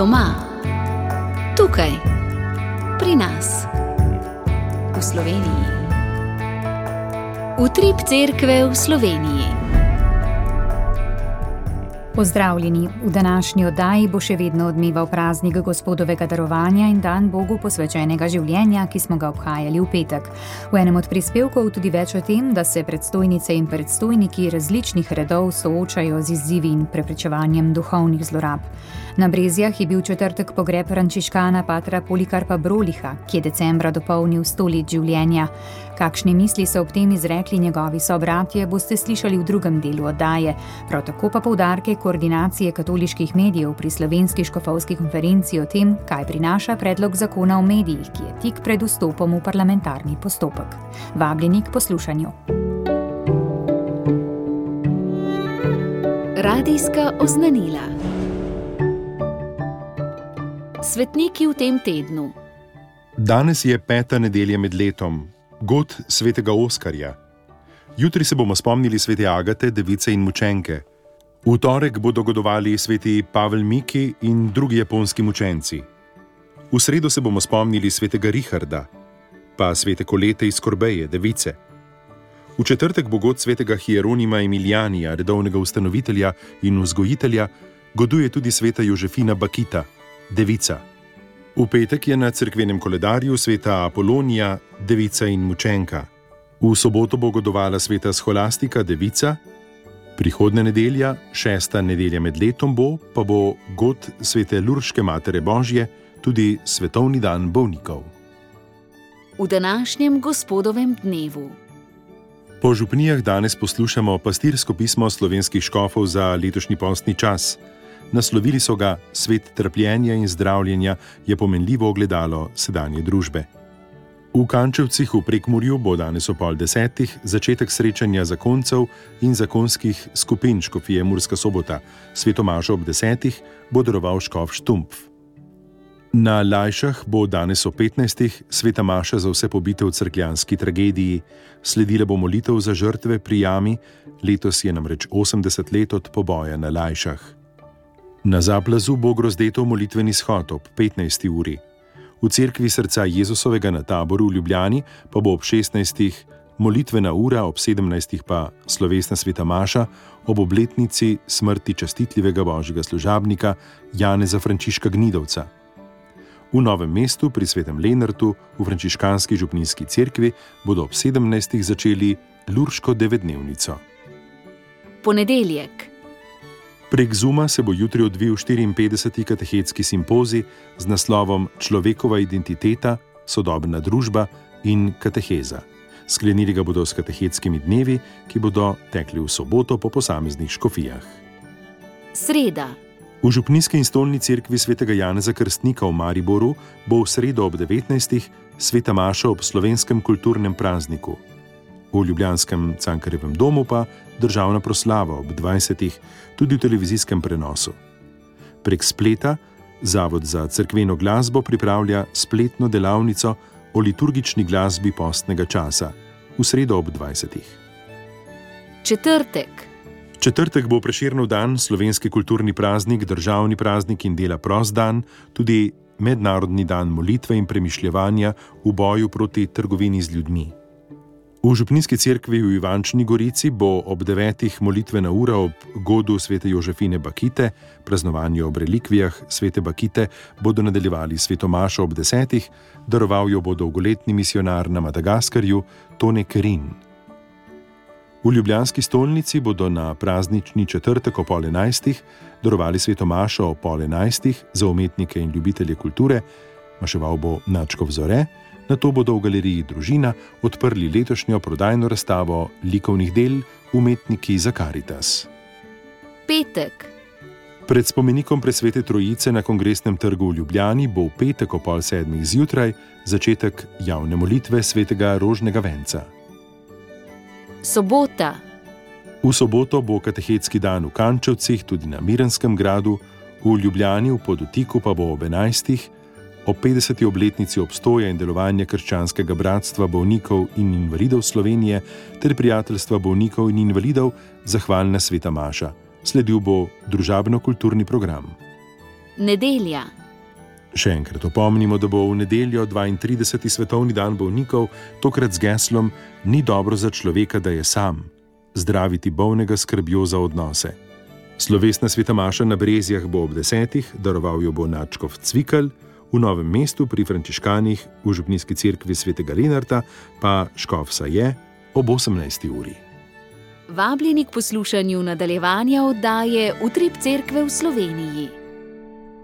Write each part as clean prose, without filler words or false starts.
Doma, tukaj, pri nas, v Sloveniji. Utrip cerkve v Sloveniji. Pozdravljeni, v današnji oddaji bo še vedno odmeval praznik Gospodovega darovanja in dan Bogu posvečenega življenja, ki smo ga obhajali v petek. V enem od prispevkov tudi več o tem, da se predstojnice in predstojniki različnih redov soočajo z izzivi in preprečevanjem duhovnih zlorab. Na Brezjah je bil četrtek pogreb frančiškana patra Polikarpa Broliha, ki je decembra dopolnil 100 let življenja. Kakšne misli so ob tem izrekli njegovi sobratje, boste slišali v drugem delu oddaje. Prav tako pa poudarke koordinacije katoliških medijev pri Slovenski škofovski konferenci o tem, kaj prinaša predlog zakona o medijih, ki je tik pred vstopom v parlamentarni postopek. Vabljeni k poslušanju. Radijska oznanila. Svetniki v tem tednu. Danes je 5. nedelja med letom, god svetega Oskarja. Jutri se bomo spomnili svete Agate, device in mučenke. V torek bodo godovali sveti Pavel Miki in drugi japonski mučenci. V sredo se bomo spomnili svetega Richarda, pa svete Kolete iz Korbeje, device. V četrtek bo god svetega Hieronima Emilijanija, redovnega ustanovitelja in vzgojitelja, goduje tudi sveta Jožefina Bakita, devica. V petek je na cerkvenem koledarju sveta Apolonija, devica in mučenka. V soboto bo godovala sveta Scholastika, devica. Prihodnja nedelja, 6. nedelja med letom pa bo god svete Lurške Matere Božje, tudi svetovni dan bolnikov. V današnjem Gospodovem dnevu. Po župnijah danes poslušamo pastirsko pismo slovenskih škofov za letošnji postni čas. Naslovili so ga Svet trpljenja in zdravljenja je pomenljivo ogledalo sedanje družbe. V Kančevcih v Prekmurju bo danes ob 9:30 začetek srečanja zakoncev in zakonskih skupin škofije Murska Sobota. Svetomašo ob 10:00 bo daroval škof Štumpf. Na Lajšah bo danes ob 15:00 sveta maša za vse pobite v cerkljanski tragediji. Sledila bo molitev za žrtve pri jami, letos je namreč 80 let od poboja na Lajšah. Na Zaplazu bo Grozdetov molitveni shod ob 15. uri. V cerkvi srca Jezusovega na Taboru v Ljubljani pa bo ob 16. molitvena ura, ob 17. pa slovesna sveta maša ob obletnici smrti častitljivega božjega služabnika Janeza Frančiška Gnidovca. V Novem mestu pri svetem Lenartu v frančiškanski župnijski cerkvi bodo ob 17. začeli Lurško devetdnevnico. Ponedeljek. Prek Zuma se bo jutri odvil 54. katehetski simpozij z naslovom Človekova identiteta, sodobna družba in kateheza. Sklenili ga bodo s katehetskimi dnevi, ki bodo tekli v soboto po posameznih škofijah. Sreda. V župnijski in stolni cerkvi svetega Janeza Krstnika v Mariboru bo v sredo ob 19. sveta maša ob slovenskem kulturnem prazniku. V ljubljanskem Cankarjevem domu pa državna proslava ob 20. tudi v televizijskem prenosu. Prek spleta Zavod za cerkveno glasbo pripravlja spletno delavnico o liturgični glasbi postnega časa v sredo ob 20. Četrtek. Četrtek bo Prešernov dan, slovenski kulturni praznik, državni praznik in dela prost dan, tudi mednarodni dan molitve in premišljevanja v boju proti trgovini z ljudmi. V župnijski cerkvi v Ivančni Gorici bo ob 9. molitvena ura ob godu svete Jožefine Bakite, praznovanju ob relikvijah svete Bakite bodo nadaljevali svetomašo ob 10. daroval jo bo dolgoletni misionar na Madagaskarju Tone Kerin. V ljubljanski stolnici bodo na praznični četrtek ob 10:30 darovali svetomašo ob 10:30 za umetnike in ljubitelje kulture, maševal bo Načkov Zore. Nato bodo v galeriji Družina odprli letošnjo prodajno razstavo likovnih del Umetniki za Karitas. Petek. Pred spomenikom presvete Trojice na Kongresnem trgu v Ljubljani bo v petek ob 6:30 zjutraj začetek javne molitve svetega Rožnega venca. Sobota. V soboto bo katehetski dan v Kančevcih, tudi na Mirenskem gradu, v Ljubljani v Podutiku pa bo ob 11. ob 50. obletnici obstoja in delovanja Krščanskega bratstva bolnikov in invalidov Slovenije ter prijateljstva bolnikov in invalidov zahvalna sveta maša. Sledil bo družabno-kulturni program. Nedelja. Še enkrat opomnimo, da bo v nedeljo 32. svetovni dan bolnikov, tokrat z geslom Ni dobro za človeka, da je sam. Zdraviti bolnega skrbjo za odnose. Slovesna sveta maša na Brezjah bo ob 10, daroval jo bo nadškof Cvikl, v Novem mestu pri frančiškanih v župnijski cerkvi svetega Lenarta pa škof Saje ob 18. uri. Vabljeni k poslušanju nadaljevanja oddaje Utrip cerkve v Sloveniji.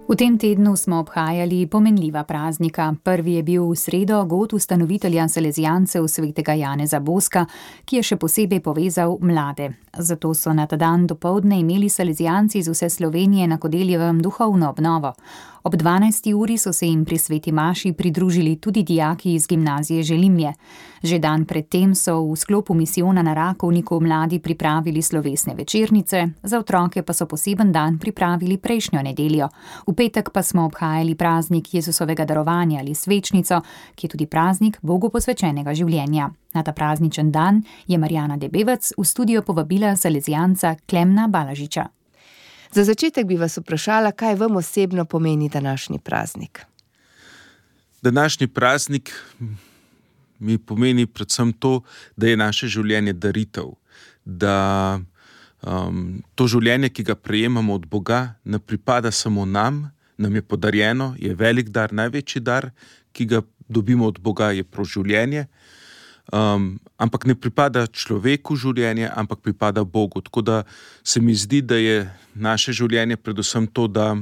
V tem tednu smo obhajali pomenljiva praznika. Prvi je bil v sredo god ustanovitelja Salezijancev svetega Janeza Boska, ki je še posebej povezal mlade. Zato so na ta dan dopoldne imeli Salezijanci iz vse Slovenije na Kodeljevem duhovno obnovo. Ob 12. uri so se jim pri sveti maši pridružili tudi dijaki iz gimnazije Želimje. Že dan predtem so v sklopu misijona na Rakovniku mladi pripravili slovesne večernice, za otroke pa so poseben dan pripravili prejšnjo nedeljo. V petek pa smo obhajali praznik Jezusovega darovanja ali svečnico, ki je tudi praznik Bogu posvečenega življenja. Na ta prazničen dan je Marjana Debevec v studio povabila Salezijanca Klemna Balažiča. Za začetek bi vas vprašala, kaj vam osebno pomeni današnji praznik? Današnji praznik mi pomeni predvsem to, da je naše življenje daritev. Da to življenje, ki ga prejemamo od Boga, ne pripada samo nam je podarjeno, je velik dar, največji dar, ki ga dobimo od Boga, je prav življenje. Ampak ne pripada človeku življenje, ampak pripada Bogu. Tako da se mi zdi, da je naše življenje predvsem to, da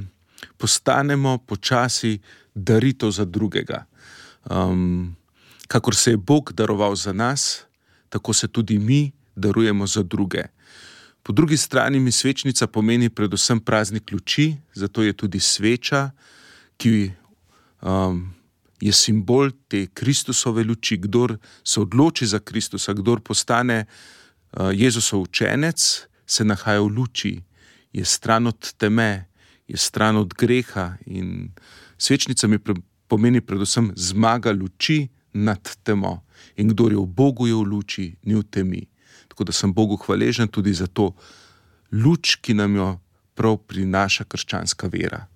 postanemo počasi daritev za drugega. Kakor se je Bog daroval za nas, tako se tudi mi darujemo za druge. Po drugi strani mi svečnica pomeni predvsem praznik luči, zato je tudi sveča, ki je simbol te Kristusove luči. Kdor se odloči za Kristusa, kdor postane Jezusov učenec, se nahaja v luči, je stran od teme, je stran od greha in svečnica mi pomeni predvsem zmaga luči nad temo. In kdor je v Bogu, je v luči, ni v temi. Tako da sem Bogu hvaležen tudi za to luč, ki nam jo prav prinaša krščanska vera.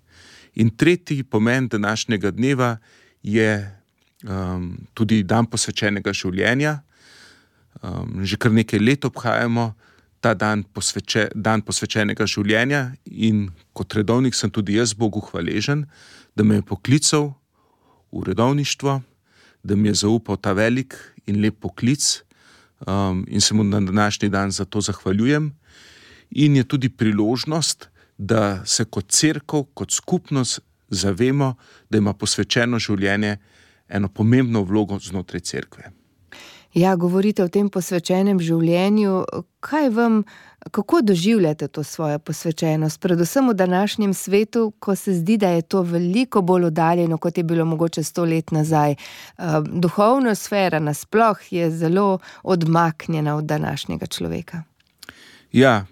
In tretji pomen današnjega dneva je tudi dan posvečenega življenja. Že kar nekaj let obhajamo ta dan posvečenega življenja in kot redovnik sem tudi jaz Bogu hvaležen, da me je poklical v redovništvo, da mi je zaupal ta velik in lep poklic in se mu na današnji dan za to zahvaljujem. In je tudi priložnost, da se kot cerkev, kot skupnost zavemo, da ima posvečeno življenje eno pomembno vlogo znotraj cerkve. Ja, govorite o tem posvečenem življenju. Kako doživljate to svojo posvečenost? Predvsem v današnjem svetu, ko se zdi, da je to veliko bolj oddaljeno, kot je bilo mogoče 100 let nazaj. Duhovna sfera nasploh je zelo odmaknjena od današnjega človeka. Ja,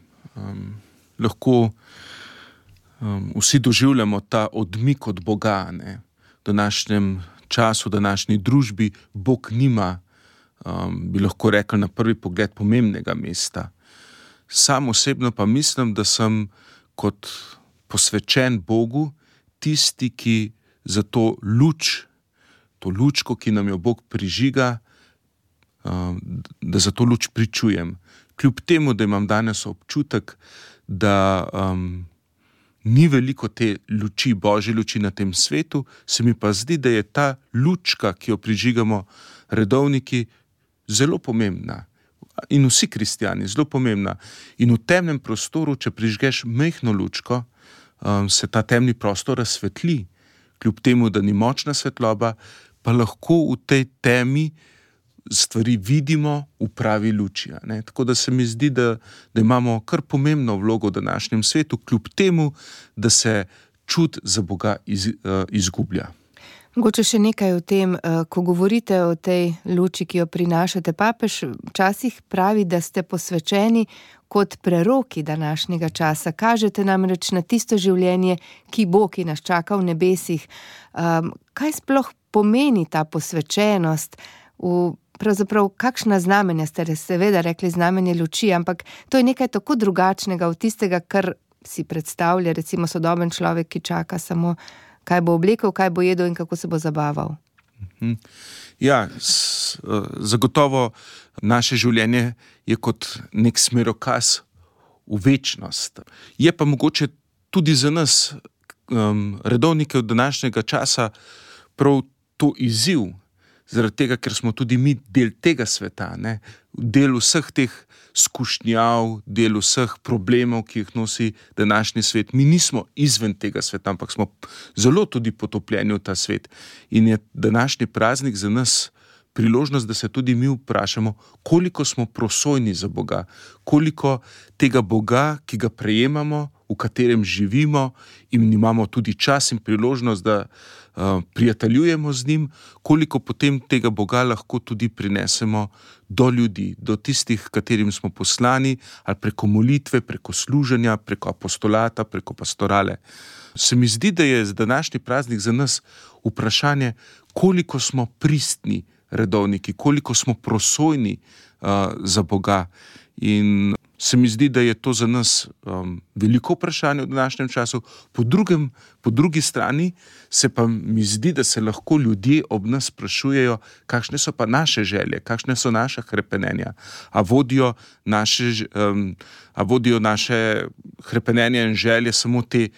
lahko vsi doživljamo ta odmik od Boga. V današnjem času, v današnji družbi Bog nima, bi lahko rekel na prvi pogled, pomembnega mesta. Sam osebno pa mislim, da sem kot posvečen Bogu tisti, ki za to lučko, ki nam jo Bog prižiga, da za to luč pričujem. Kljub temu, da imam danes občutek, da ni veliko te luči, Božje luči na tem svetu, se mi pa zdi, da je ta lučka, ki jo prižigamo redovniki, zelo pomembna. In vsi kristjani, zelo pomembna. In v temnem prostoru, če prižgeš majhno lučko, se ta temni prostor razsvetli. Kljub temu, da ni močna svetloba, pa lahko v tej temi stvari vidimo v pravi luči. Tako da se mi zdi, da imamo kar pomembno vlogo v današnjem svetu, kljub temu, da se čut za Boga izgublja. Mogoče še nekaj o tem, ko govorite o tej luči, ki jo prinašate. Papež včasih pravi, da ste posvečeni kot preroki današnjega časa. Kažete namreč na tisto življenje, ki bo, ki nas čaka v nebesih. Kaj sploh pomeni ta posvečenost? Pravzaprav, kakšna znamenja ste seveda rekli znamenje luči, ampak to je nekaj tako drugačnega od tistega, kar si predstavlja recimo sodoben človek, ki čaka samo, kaj bo oblekel, kaj bo jedel in kako se bo zabaval? Ja, zagotovo naše življenje je kot nek smerokaz v večnost. Je pa mogoče tudi za nas, redovnike od današnjega časa, prav to izziv, zaradi tega, ker smo tudi mi del tega sveta, ne? Del vseh teh skušnjav, del vseh problemov, ki jih nosi današnji svet. Mi nismo izven tega sveta, ampak smo zelo tudi potopljeni v ta svet. In je današnji praznik za nas priložnost, da se tudi mi vprašamo, koliko smo prosojni za Boga, koliko tega Boga, ki ga prejemamo, v katerem živimo in imamo tudi čas in priložnost, da prijateljujemo z njim, koliko potem tega Boga lahko tudi prinesemo do ljudi, do tistih, katerim smo poslani, ali preko molitve, preko služenja, preko apostolata, preko pastorale. Se mi zdi, da je današnji praznik za nas vprašanje, koliko smo pristni redovniki, koliko smo prosojni za Boga. In se mi zdi, da je to za nas veliko vprašanje v današnjem času. Po drugi strani se pa mi zdi, da se lahko ljudje ob nas sprašujejo, kakšne so pa naše želje, kakšne so naša hrepenenja. A vodijo naše hrepenenja in želje samo te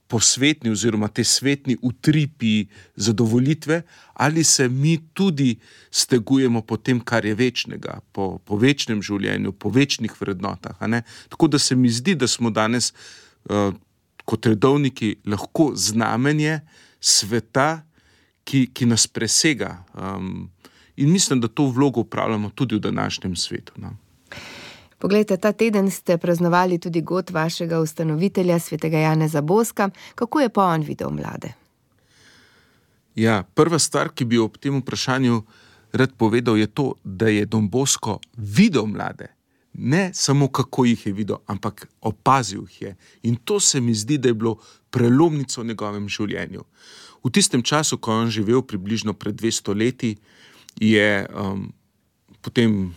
posvetni oziroma te svetni utripi zadovoljitve, ali se mi tudi stegujemo po tem, kar je večnega, po večnem življenju, po večnih vrednotah. A ne? Tako da se mi zdi, da smo danes kot redovniki lahko znamenje sveta, ki nas presega. In mislim, da to vlogo upravljamo tudi v današnjem svetu. No? Poglejte, ta teden ste praznovali tudi god vašega ustanovitelja, svetega Janeza Boska. Kako je pa on videl mlade? Ja, prva stvar, ki bi ob tem vprašanju rad povedal, je to, da je Don Bosco videl mlade. Ne samo kako jih je videl, ampak opazil jih je. In to se mi zdi, da je bilo prelomnico v njegovem življenju. V tistem času, ko je on živel približno pred 200 leti, je potem,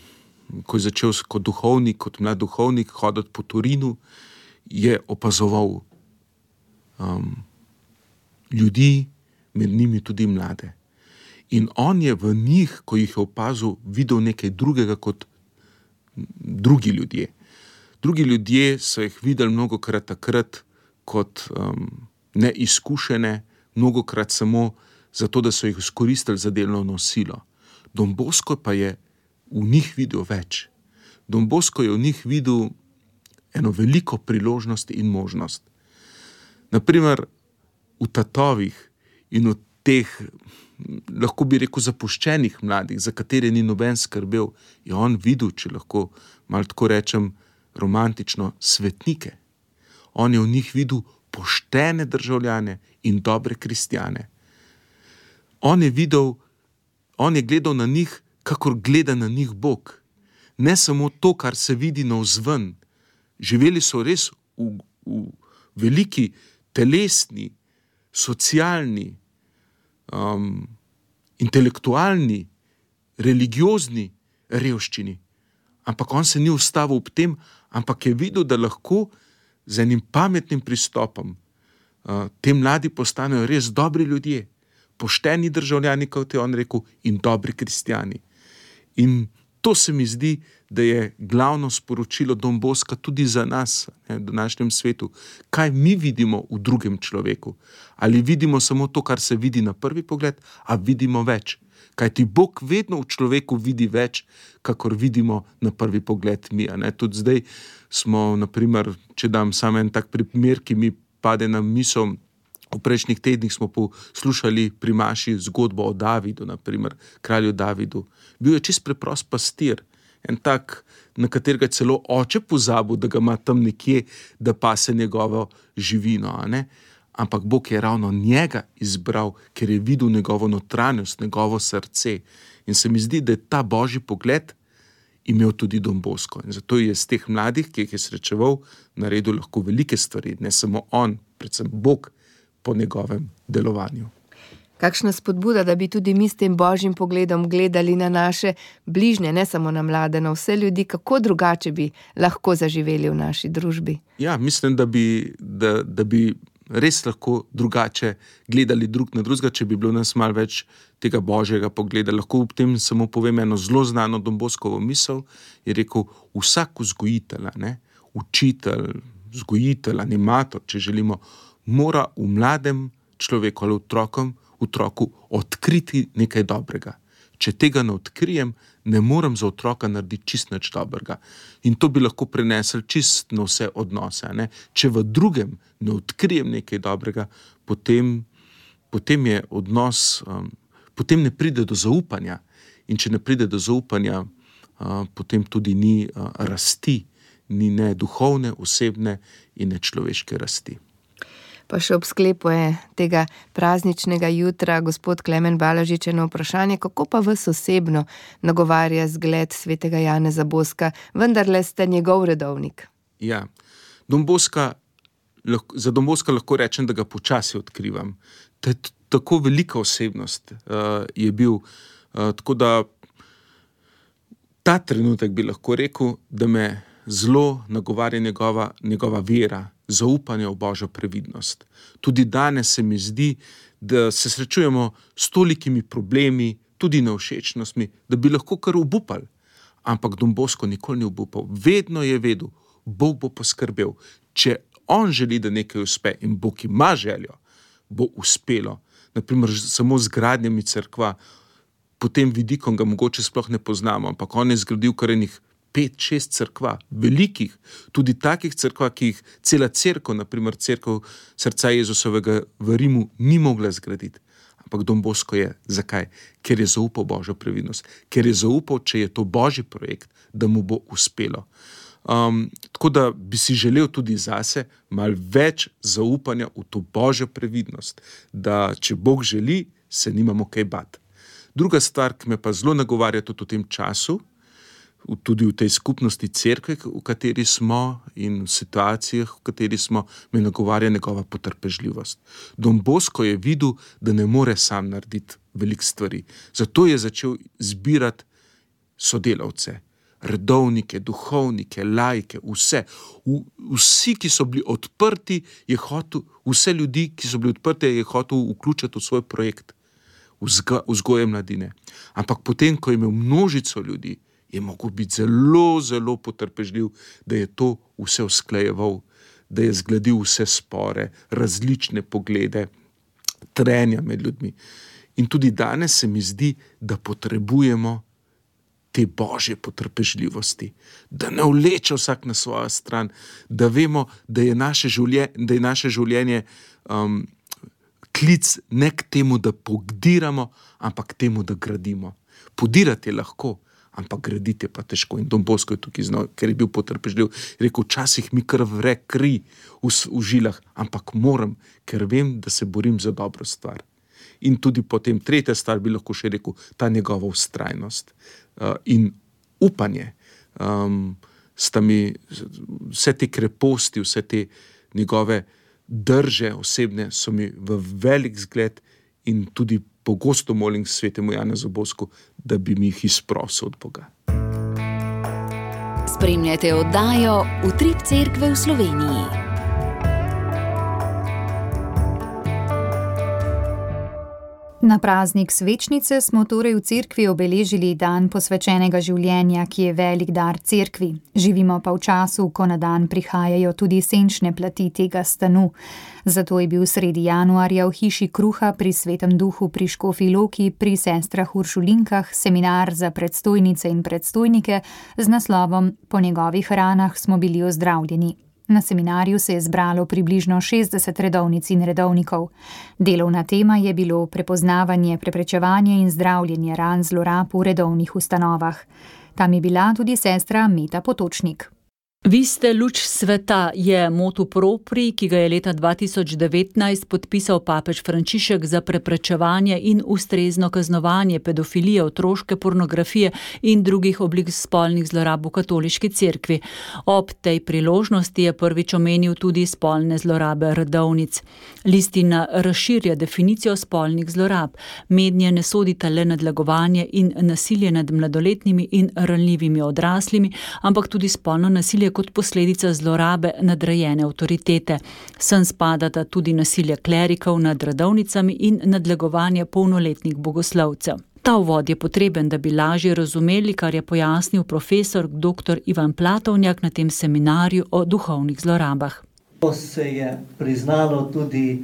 ko je začel kot duhovnik, kot mlad duhovnik hoditi po Torinu, je opazoval ljudi, med njimi tudi mlade. In on je v njih, ko jih je opazil, videl nekaj drugega kot drugi ljudje. Drugi ljudje so jih videli mnogokrat takrat kot neizkušene, mnogokrat samo zato, da so jih izkoristili za delovno silo. Don Bosco pa je v njih videl več. Don Bosco je v njih videl eno veliko priložnost in možnost. Naprimer, v tatovih in v teh, lahko bi rekel, zapuščenih mladih, za katere ni noben skrbel, je on videl, če lahko malo tako rečem romantično, svetnike. On je v njih videl poštene državljane in dobre kristjane. On je gledal na njih, kakor gleda na njih Bog. Ne samo to, kar se vidi navzven. Živeli so res v veliki telesni, socialni, intelektualni, religiozni revščini. Ampak on se ni ustavil ob tem, ampak je videl, da lahko z enim pametnim pristopom te mladi postanejo res dobri ljudje, pošteni državljani, kot je on rekel, in dobri kristjani. In to se mi zdi, da je glavno sporočilo Don Bosca tudi za nas, v današnjem svetu. Kaj mi vidimo v drugem človeku? Ali vidimo samo to, kar se vidi na prvi pogled, a vidimo več? Kajti Bog vedno v človeku vidi več, kakor vidimo na prvi pogled mi. Tudi zdaj smo, naprimer, če dam samo en tak primer, ki mi pade na misel, v prejšnjih tednih smo poslušali pri maši zgodbo o Davidu, naprimer, kralju Davidu. Bil je čist preprost pastir, en tak, na katerega je celo oče pozabil, da ga ima tam nekje, da pase njegovo živino. Ampak Bog je ravno njega izbral, ker je videl njegovo notranjost, njegovo srce. In se mi zdi, da je ta božji pogled imel tudi Don Bosco. In zato je z teh mladih, ki jih je srečeval, naredil lahko velike stvari. Ne samo on, predvsem Bog, po njegovem delovanju. Kakšna spodbuda, da bi tudi mi s tem božjim pogledom gledali na naše bližnje, ne samo na mlade, na vse ljudi, kako drugače bi lahko zaživeli v naši družbi. Ja, mislim, da bi res lahko drugače gledali drug na drugega, če bi bilo nas malo več tega božjega pogleda. Lahko ob tem samo povem eno zelo znano Don Boscovo misel, je rekel, vsak vzgojitelj, učitelj, vzgojitelj, animator, če želimo, mora v mladem človeku ali otroku odkriti nekaj dobrega. Če tega ne odkrijem, ne morem za otroka narediti čist nič dobrega. In to bi lahko prenesli čist na vse odnose. Če v drugem ne odkrijem nekaj dobrega, potem je odnos, potem ne pride do zaupanja. In če ne pride do zaupanja, potem tudi ni rasti, ni ne duhovne, osebne in ne človeške rasti. Pa še ob sklepu tega prazničnega jutra gospod Klemen Balažič eno vprašanje, kako pa vas osebno nagovarja zgled svetega Janeza Boska, vendarle ste njegov redovnik. Ja, za Don Boska lahko rečem, da ga počasi odkrivam. Tako velika osebnost je bil, tako da ta trenutek bi lahko rekel, da me zelo nagovarja njegova vera, zaupanje v Božjo previdnost. Tudi danes se mi zdi, da se srečujemo s tolikimi problemi, tudi nevšečnostmi, da bi lahko kar obupali. Ampak Don Bosco nikoli ni obupal. Vedno je vedel, Bog bo poskrbel. Če on želi, da nekaj uspe in Bog ima željo, bo uspelo. Naprimer, samo z gradnjami cerkva, po tem vidikom ga mogoče sploh ne poznamo, ampak on je zgradil kar enih 5-6 cerkva, velikih, tudi takih cerkva, ki jih cela cerkev, naprimer cerkev Srca Jezusovega v Rimu, ni mogla zgraditi. Ampak Don Bosco je. Zakaj? Ker je zaupal Božjo previdnost. Ker je zaupal, če je to Božji projekt, da mu bo uspelo. Tako da bi si želel tudi zase malo več zaupanja v to Božjo previdnost, da če Bog želi, se nimamo kaj bati. Druga stvar, ki me pa zelo nagovarja tudi v tem času, tudi v tej skupnosti cerkve, v kateri smo in v situacijah, v kateri smo, me nagovarja njegova potrpežljivost. Don Bosco je videl, da ne more sam narediti veliko stvari. Zato je začel zbirati sodelavce, redovnike, duhovnike, laike, vse. Vsi, ki so bili odprti, vse ljudi, ki so bili odprti, je hotel vključiti v svoj projekt vzgoje mladine. Ampak potem, ko je imel množico ljudi, je mogel biti zelo, zelo potrpežljiv, da je to vse usklajeval, da je zgladil vse spore, različne poglede, trenja med ljudmi. In tudi danes se mi zdi, da potrebujemo te božje potrpežljivosti, da ne vleče vsak na svojo stran, da vemo, da je naše življenje klic ne k temu, da pogdiramo, ampak k temu, da gradimo. Podirati je lahko, ampak graditi je pa težko. In Don Bosco je tukaj znal, ker je bil potrpežljiv. Rekel, včasih mi kar vre kri v žilah, ampak moram, ker vem, da se borim za dobro stvar. In tudi potem tretja stvar bi lahko še rekel, ta njegova vztrajnost in upanje. Sta mi vse te kreposti, vse te njegove drže osebne so mi v velik zgled in tudi pogosto molim svetemu Janezu Bosku, da bi mi jih izprosil od Boga. Spremljate oddajo Utrip cerkve v Sloveniji. Na praznik svečnice smo torej v cerkvi obeležili dan posvečenega življenja, ki je velik dar cerkvi. Živimo pa v času, ko na dan prihajajo tudi senčne plati tega stanu. Zato je bil sredi januarja v hiši Kruha pri Svetem Duhu pri Škofji Loki pri sestrah Uršulinkah seminar za predstojnice in predstojnike z naslovom Po njegovih ranah smo bili ozdravljeni. Na seminarju se je zbralo približno 60 redovnic in redovnikov. Delovna tema je bilo prepoznavanje, preprečevanje in zdravljenje ran zlorab v redovnih ustanovah. Tam je bila tudi sestra Meta Potočnik. Vi ste luč sveta, je motu propri, ki ga je leta 2019 podpisal papež Frančišek za preprečevanje in ustrezno kaznovanje pedofilije, otroške pornografije in drugih oblik spolnih zlorab v katoliški cerkvi. Ob tej priložnosti je prvič omenil tudi spolne zlorabe redovnic. Listina razširja definicijo spolnih zlorab. Mednje ne sodita le nadlegovanje in nasilje nad mladoletnimi in ranljivimi odraslimi, ampak tudi spolno nasilje kot posledica zlorabe nadrejene avtoritete. Sem spadata tudi nasilje klerikov nad redovnicami in nadlegovanje polnoletnih bogoslovcev. Ta uvod je potreben, da bi lažje razumeli, kar je pojasnil profesor dr. Ivan Platovnjak na tem seminarju o duhovnih zlorabah. To se je priznalo tudi,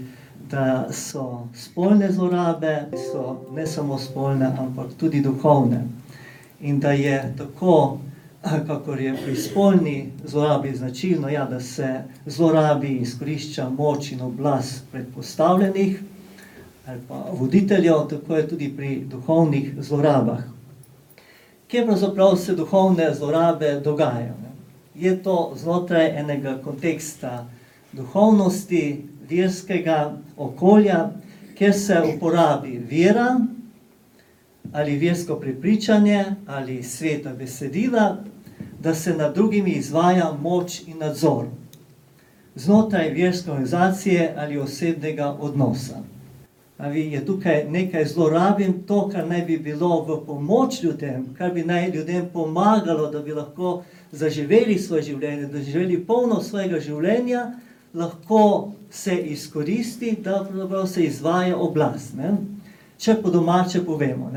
da so spolne zlorabe, so ne samo spolne, ampak tudi duhovne. In da je tako, kakor je pri spolni zlorabi značilno, da se zlorabi izkorišča moč in oblast predpostavljenih ali pa voditeljev, tako je tudi pri duhovnih zlorabah. Kje pravzaprav se duhovne zlorabe dogajajo? Je to znotraj enega konteksta duhovnosti, verskega okolja, kjer se uporabi vera ali versko prepričanje ali sveta besedila, da se nad drugimi izvaja moč in nadzor znotraj verske organizacije ali osebnega odnosa. Je tukaj nekaj zlorabim, to, kar naj bi bilo v pomoč ljudem, kar bi naj ljudem pomagalo, da bi lahko zaživeli svoje življenje, da živeli polno svojega življenja, lahko se izkoristi, da se izvaja oblast. Če po domače povemo,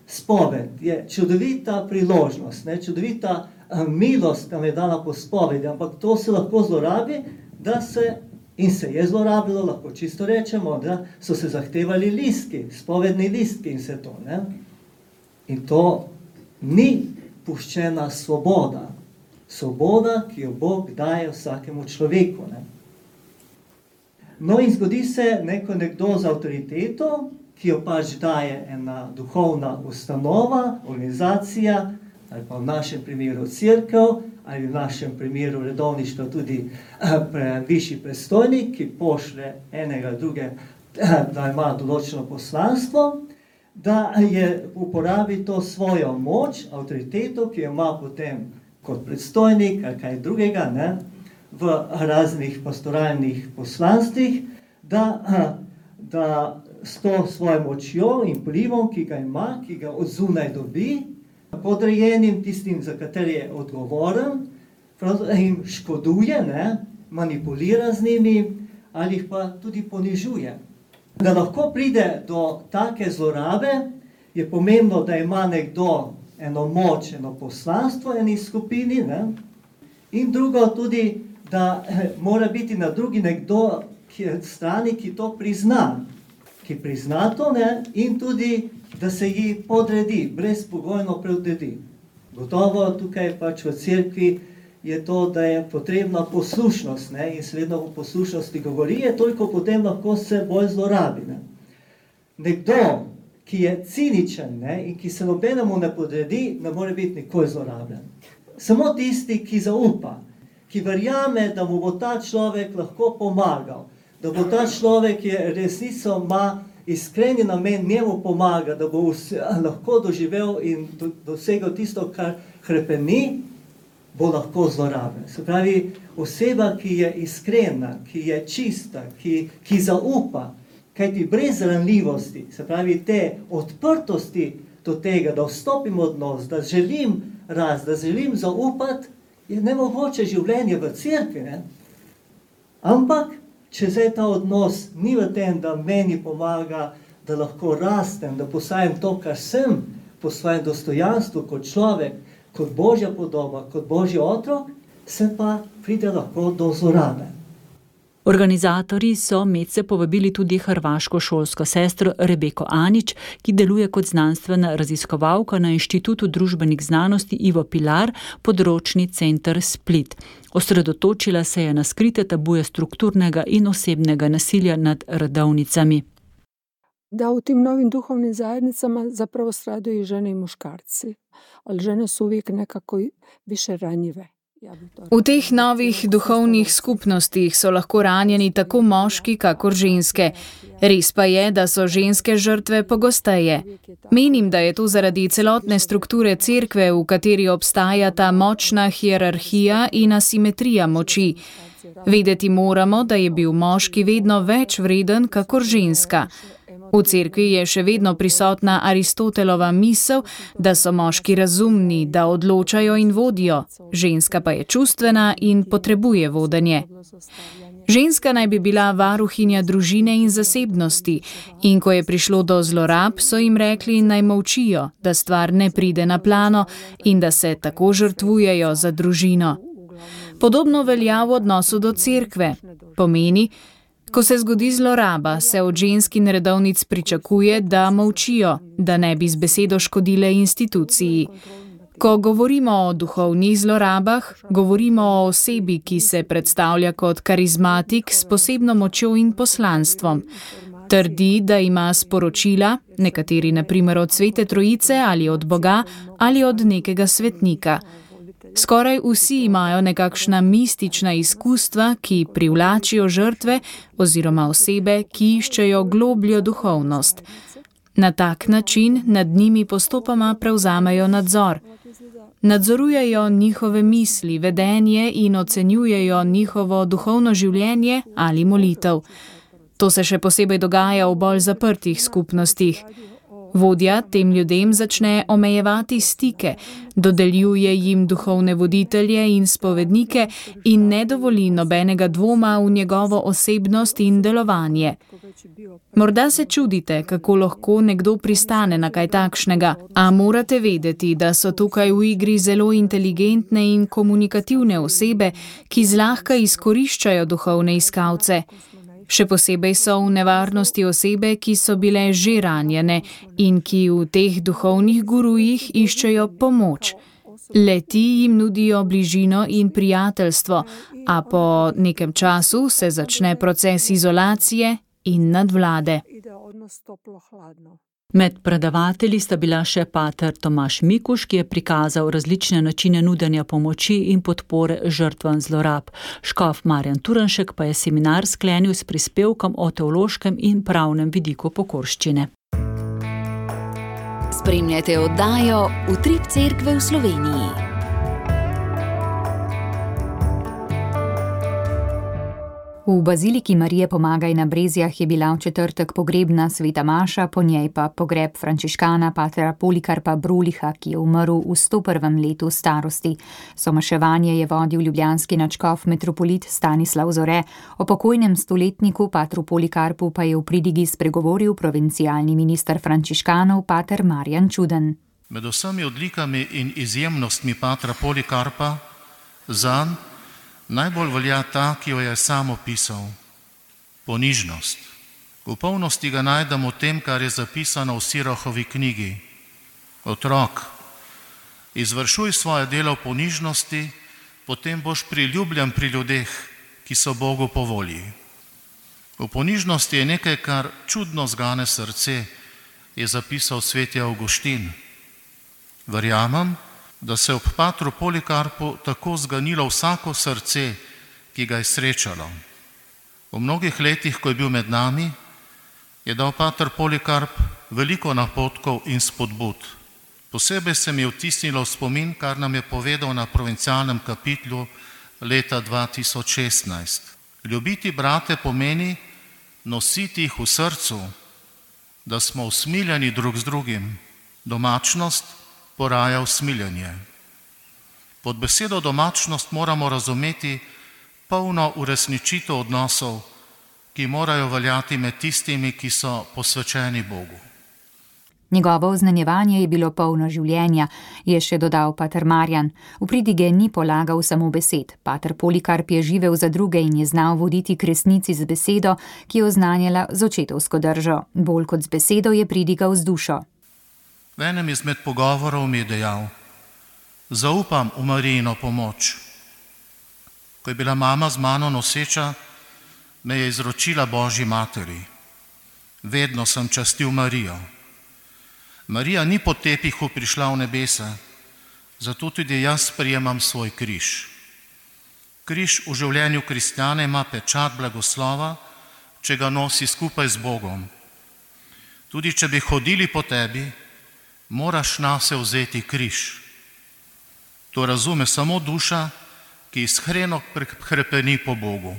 spoved je čudovita priložnost, čudovita milost, nam je dana po spovedi, ampak to se lahko zlorabi, in se je zlorabilo, lahko čisto rečemo, da so se zahtevali listki, spovedni listki in vse to. In to ni puščena svoboda. Svoboda, ki jo Bog daje vsakemu človeku. No in zgodi se nekdo z avtoriteto, ki jo pač daje ena duhovna ustanova, organizacija, ali pa v našem primeru cerkev, ali v našem primeru redovništva tudi višji predstojnik, ki pošlje enega druge, da ima določeno poslanstvo, da uporabi to svojo moč, avtoriteto, ki jo ima potem kot predstojnik ali kaj drugega, v raznih pastoralnih poslanstvih, da s to svojo močjo in vplivom, ki ga ima, ki ga od zunaj dobi, podrejenim tistim, za katere je odgovoren, jim škoduje, manipulira z njimi ali jih pa tudi ponižuje. Da lahko pride do take zlorabe, je pomembno, da ima nekdo eno moč, eno poslanstvo eni skupini, in drugo tudi, da mora biti na drugi nekdo strani, ki to prizna. Ki prizna to, in tudi, da se ji podredi, brezpogojno podredi. Gotovo tukaj pač v cerkvi je to, da je potrebna poslušnost, in se vedno o poslušnosti govori, toliko potem lahko se bolj zlorabi. Nekdo, ki je ciničen, in ki se nobenemu ne podredi, ne more biti nikoli zlorabljen. Samo tisti, ki zaupa, ki verjame, da mu bo ta človek lahko pomagal, da bo ta človek, ki je resnico ima iskreni namen njemu pomaga, da bo lahko doživel in dosegel tisto, kar hrepeni, bo lahko zlorabljen. Se pravi, oseba, ki je iskrena, ki je čista, ki zaupa, kajti brez ranljivosti, se pravi te odprtosti do tega, da vstopim v odnos, da želim da želim zaupati, je nemogoče življenje v cerkvi. Ampak, če zdaj ta odnos ni v tem, da meni pomaga, da lahko rastem, da postajam to, kar sem, po svojem dostojanstvu kot človek, kot Božja podoba, kot Božji otrok, se pa pride lahko do zlorabe. Organizatorji so medse povabili tudi hrvaško šolsko sestro Rebeko Anić, ki deluje kot znanstvena raziskovalka na Inštitutu družbenih znanosti Ivo Pilar, področni center Split. Osredotočila se je na skrite tabuje strukturnega in osebnega nasilja nad redovnicami. Da u tim novim duhovnim zajednicama zapravo stradaju i žene i muškarci, ali žene su uvijek nekako više ranjive V teh novih duhovnih skupnostih so lahko ranjeni tako moški, kakor ženske. Res pa je, da so ženske žrtve pogosteje. Menim, da je to zaradi celotne strukture cerkve, v kateri obstaja ta močna hierarhija in asimetrija moči. Vedeti moramo, da je bil moški vedno več vreden, kakor ženska. V cerkvi je še vedno prisotna Aristotelova misel, da so moški razumni, da odločajo in vodijo, ženska pa je čustvena in potrebuje vodenje. Ženska naj bi bila varuhinja družine in zasebnosti, in ko je prišlo do zlorab, so jim rekli, naj molčijo, da stvar ne pride na plano in da se tako žrtvujejo za družino. Podobno velja v odnosu do cerkve. Pomeni, ko se zgodi zloraba, se od žensk in redovnic pričakuje, da molčijo, da ne bi z besedo škodile instituciji. Ko govorimo o duhovnih zlorabah, govorimo o osebi, ki se predstavlja kot karizmatik s posebno močjo in poslanstvom. Trdi, da ima sporočila, nekateri na primer od Svete Trojice ali od Boga ali od nekega svetnika. Skoraj vsi imajo nekakšna mistična izkustva, ki privlačijo žrtve oziroma osebe, ki iščejo globljo duhovnost. Na tak način nad njimi postopoma prevzamejo nadzor. Nadzorujejo njihove misli, vedenje in ocenjujejo njihovo duhovno življenje ali molitev. To se še posebej dogaja v bolj zaprtih skupnostih. Vodja tem ljudem začne omejevati stike, dodeljuje jim duhovne voditelje in spovednike in ne dovoli nobenega dvoma v njegovo osebnost in delovanje. Morda se čudite, kako lahko nekdo pristane na kaj takšnega, a morate vedeti, da so tukaj v igri zelo inteligentne in komunikativne osebe, ki zlahka izkoriščajo duhovne iskalce. Še posebej so v nevarnosti osebe, ki so bile že ranjene in ki v teh duhovnih gurujih iščejo pomoč. Le-ti jim nudijo bližino in prijateljstvo, a po nekem času se začne proces izolacije in nadvlade. Med predavatelji sta bila še pater Tomaž Mikuš, ki je prikazal različne načine nudenja pomoči in podpore žrtvam zlorab. Škof Marjan Turnšek pa je seminar sklenil s prispevkom o teološkem in pravnem vidiku pokorščine. Spremljate oddajo Utrip cerkve v Sloveniji. V baziliki Marije Pomagaj na Brezjah je bila v četrtek pogrebna sveta maša, po njej pa pogreb frančiškana patera Polikarpa Broliha, ki je umrl v 101. letu starosti. Somaševanje je vodil ljubljanski nadškof metropolit Stanislav Zore, o pokojnem stoletniku patru Polikarpu pa je v pridigi spregovoril provincialni minister frančiškanov pater Marjan Čuden. Med vsemi odlikami in izjemnostmi patra Polikarpa zanj najbolj velja ta, ki jo je sam opisal. Ponižnost. V polnosti ga najdemo v tem, kar je zapisano v Sirohovi knjigi. Otrok, izvršuj svoje delo v ponižnosti, potem boš priljubljen pri ljudeh, ki so Bogu po volji. V ponižnosti je nekaj, kar čudno zgane srce, je zapisal sveti Avguštin. Verjamem, da se ob patru Polikarpu tako zganilo vsako srce, ki ga je srečalo. V mnogih letih, ko je bil med nami, je dal pater Polikarp veliko napotkov in spodbud. Posebej se mi je vtisnilo v spomin, kar nam je povedal na provincialnem kapitlu leta 2016. Ljubiti brate pomeni nositi jih v srcu, da smo usmiljeni drug z drugim. Domačnost poraja usmiljenje. Pod besedo domačnost moramo razumeti polno uresničitev odnosov, ki morajo veljati med tistimi, ki so posvečeni Bogu. Njegovo oznanjevanje je bilo polno življenja, je še dodal pater Marjan. V pridige ni polagal samo besed. Pater Polikarp je živel za druge in je znal voditi k resnici z besedo, ki je oznanjala z očetovsko držo. Bolj kot z besedo je pridigal z dušo. V enem izmed pogovorov mi je dejal: zaupam v Marijino pomoč. Ko je bila mama z mano noseča, me je izročila Božji materi. Vedno sem častil Marijo. Marija ni po tepihu prišla v nebesa, zato tudi jaz sprejemam svoj križ. Križ v življenju kristjana ima pečat blagoslova, če ga nosi skupaj z Bogom. Tudi če bi hodili po tebi, moraš nase vzeti križ. To razume samo duša, ki iskreno hrepeni po Bogu.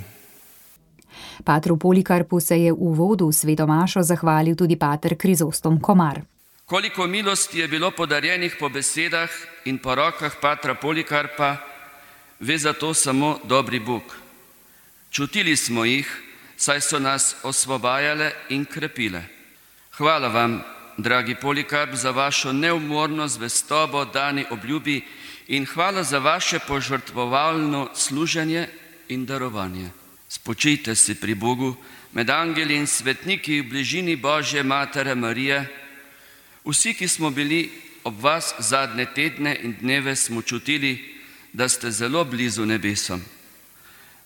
Patru Polikarpu se je v uvodu v sveto mašo zahvalil tudi pater Krizostom Komar. Koliko milosti je bilo podarjenih po besedah in po rokah patra Polikarpa, ve za to samo dobri Bog. Čutili smo jih, saj so nas osvobajale in krepile. Hvala vam, dragi Polikarp, za vašo neumorno zvestobo dani obljubi in hvala za vaše požrtvovalno služenje in darovanje. Spočijte si pri Bogu, med angeli in svetniki v bližini Božje Matere Marije. Vsi, ki smo bili ob vas zadnje tedne in dneve, smo čutili, da ste zelo blizu nebesom.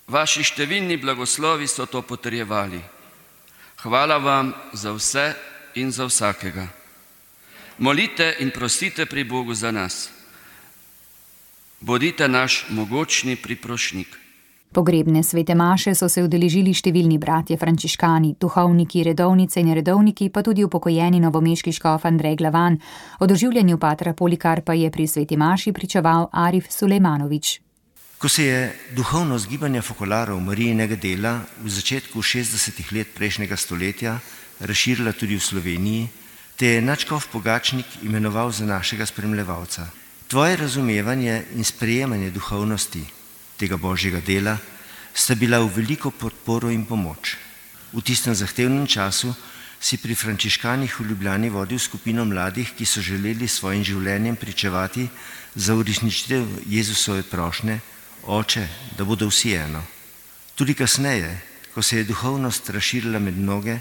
Vaši številni blagoslovi so to potrjevali. Hvala vam za vse in za vsakega. Molite in prosite pri Bogu za nas. Bodite naš mogočni priprošnik. Pogrebne svete maše so se udeležili številni bratje frančiškani, duhovniki, redovnice in redovniki, pa tudi upokojeni novomeški škof Andrej Glavan. O doživljanju patra Polikarpa je pri sveti maši pričeval Arif Sulejmanović. Ko se je duhovnost gibanja fokolarov Marijinega dela v začetku 60. let prejšnjega stoletja razširila tudi v Sloveniji, te je nadškof Pogačnik imenoval za našega spremljevalca. Tvoje razumevanje in sprejemanje duhovnosti tega božjega dela sta bila v veliko podporo in pomoč. V tistem zahtevnem času si pri frančiškanih v Ljubljani vodil skupino mladih, ki so želeli svojim življenjem pričevati za uresničitev Jezusove prošnje, Oče, da bodo vsi eno. Tudi kasneje, ko se je duhovnost razširila med mnoge,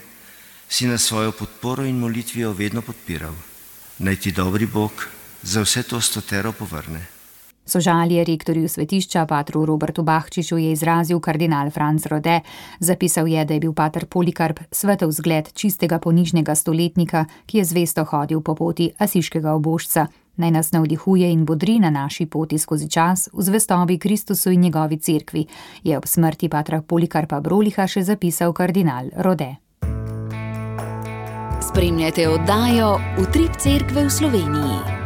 si nas svojo podporo in molitvijo vedno podpiral. Naj ti dobri Bog za vse to stotero povrne. Sožalje rektorju svetišča patru Robertu Bahčiču je izrazil kardinal Franc Rode. Zapisal je, da je bil pater Polikarp svetov zgled čistega ponižnega stoletnika, ki je zvesto hodil po poti asiškega obožca. Naj nas navdihuje in bodri na naši poti skozi čas v zvestobi Kristusu in njegovi cerkvi, je ob smrti patra Polikarpa Broliha še zapisal kardinal Rode. Spremljate oddajo Utrip cerkve v Sloveniji.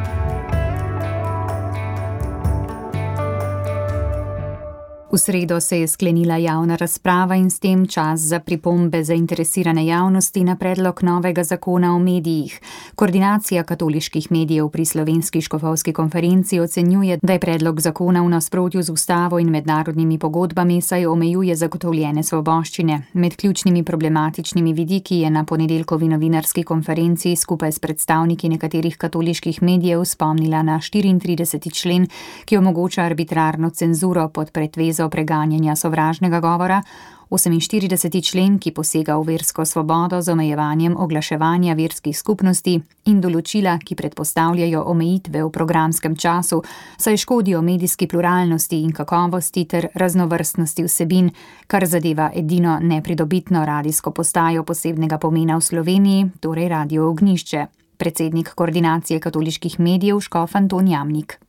V sredo se je sklenila javna razprava in s tem čas za pripombe zainteresirane javnosti na predlog novega zakona o medijih. Koordinacija katoliških medijev pri Slovenski škofovski konferenci ocenjuje, da je predlog zakona v nasprotju z ustavo in mednarodnimi pogodbami, saj omejuje zagotovljene svoboščine. Med ključnimi problematičnimi vidiki je na ponedeljkovi novinarski konferenci skupaj s predstavniki nekaterih katoliških medijev spomnila na 34. člen, ki omogoča arbitrarno cenzuro pod pretvezo preganjanja sovražnega govora, 48. člen, ki posega v versko svobodo z omejevanjem oglaševanja verskih skupnosti in določila, ki predpostavljajo omejitve v programskem času, saj škodijo medijski pluralnosti in kakovosti ter raznovrstnosti vsebin, kar zadeva edino nepridobitno radijsko postajo posebnega pomena v Sloveniji, torej Radio Ognjišče. Predsednik koordinacije katoliških medijev škof Anton Jamnik.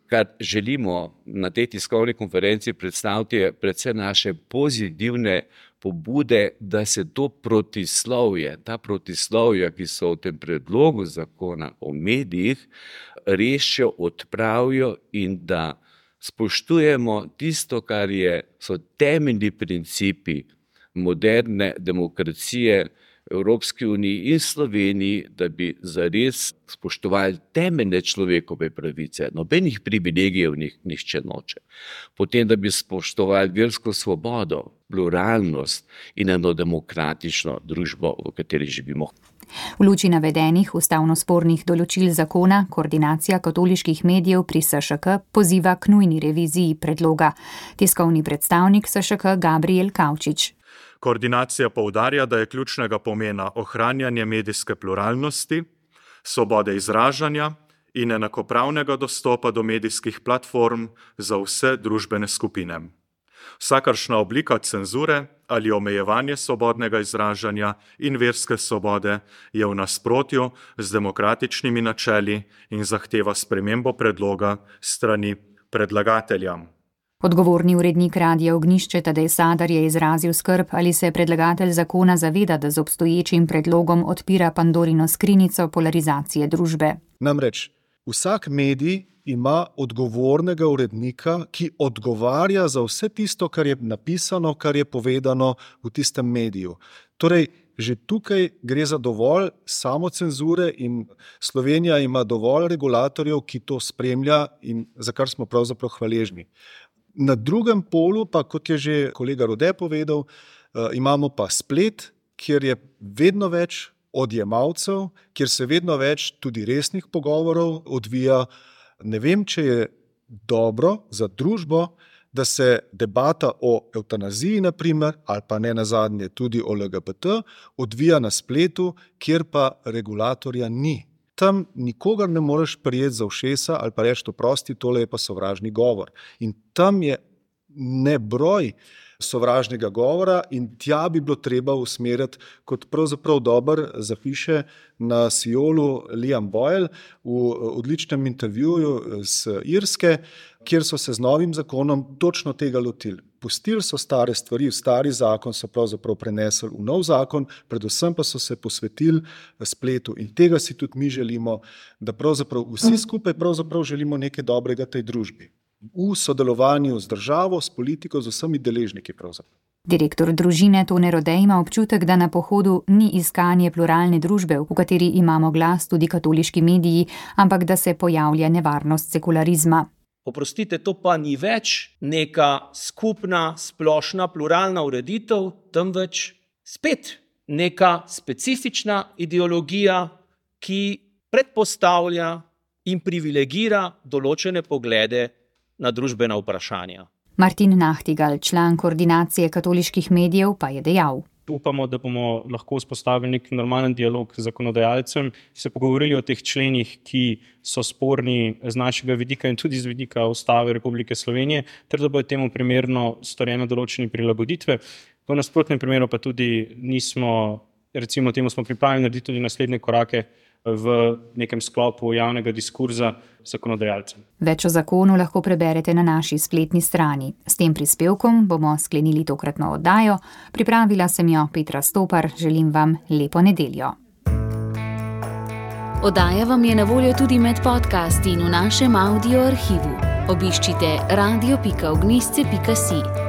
Kar želimo na tej tiskovni konferenci predstaviti, je predvsem naše pozitivne pobude, da se to protislovje, ta protislovja, ki so v tem predlogu zakona o medijih, rešijo, odpravijo in da spoštujemo tisto, kar so temeljni principi moderne demokracije Evropski uniji in Sloveniji, da bi zares spoštovali temeljne človekove pravice, nobenih privilegijev nihče noče. Potem, da bi spoštovali versko svobodo, pluralnost in eno demokratično družbo, v kateri živimo. V luči navedenih ustavno spornih določil zakona koordinacija katoliških medijev pri SŠK poziva k nujni reviziji predloga. Tiskovni predstavnik SŠK Gabriel Kavčič. Koordinacija poudarja, da je ključnega pomena ohranjanje medijske pluralnosti, svobode izražanja in enakopravnega dostopa do medijskih platform za vse družbene skupine. Vsakršna oblika cenzure ali omejevanje svobodnega izražanja in verske svobode je v nasprotju z demokratičnimi načeli in zahteva spremembo predloga strani predlagatelja. Odgovorni urednik Radia Ognjišče Tadej Sadar je izrazil skrb, ali se predlagatelj zakona zaveda, da z obstoječim predlogom odpira Pandorino skrinjico polarizacije družbe. Namreč, vsak medij ima odgovornega urednika, ki odgovarja za vse tisto, kar je napisano, kar je povedano v tistem mediju. Torej, že tukaj gre za dovolj samocenzure in Slovenija ima dovolj regulatorjev, ki to spremlja in za kar smo pravzaprav hvaležni. Na drugem polu pa, kot je že kolega Rode povedal, imamo pa splet, kjer je vedno več odjemalcev, kjer se vedno več tudi resnih pogovorov odvija. Ne vem, če je dobro za družbo, da se debata o evtanaziji, naprimer, ali pa ne nazadnje tudi o LGBT, odvija na spletu, kjer pa regulatorja ni. Tam nikogar ne moreš prijeti za ušesa ali pa reči, oprosti, tole je pa sovražni govor. In tam je nebroj sovražnega govora in tja bi bilo treba usmeriti, kot pravzaprav dobro zapiše na Siolu Liam Boyle v odličnem intervjuju z Irske, kjer so se z novim zakonom točno tega lotili. Pustili so stare stvari, stari zakon so pravzaprav prenesli v nov zakon, predvsem pa so se posvetili spletu in tega si tudi mi želimo, da pravzaprav vsi skupaj pravzaprav želimo nekaj dobrega tej družbi. V sodelovanju z državo, s politiko, z vsemi deležniki pravzaprav. Direktor družine Tone Rode ima občutek, da na pohodu ni iskanje pluralne družbe, v kateri imamo glas tudi katoliški mediji, ampak da se pojavlja nevarnost sekularizma. Oprostite, to pa ni več neka skupna, splošna, pluralna ureditev, temveč spet neka specifična ideologija, ki predpostavlja in privilegira določene poglede na družbena vprašanja. Martin Nahtigal, član koordinacije katoliških medijev, pa je dejal. Upamo, da bomo lahko vzpostavili nek normalen dialog z zakonodajalcem, se pogovorili o teh členih, ki so sporni z našega vidika in tudi z vidika Ustave Republike Slovenije, ter da bodo temu primerno storjene določene prilagoditve. V nasprotnem primeru pa tudi nismo, recimo temu smo pripravljeni narediti tudi naslednje korake v nekem sklopu javnega diskurza z zakonodajalcem. Več o zakonu lahko preberete na naši spletni strani. S tem prispevkom bomo sklenili tokratno oddajo. Pripravila sem jo Petra Stopar, želim vam lepo nedeljo. Oddaja vam je na voljo tudi med podcasti in v našem audio arhivu. Obiščite radio.ognjišče.si.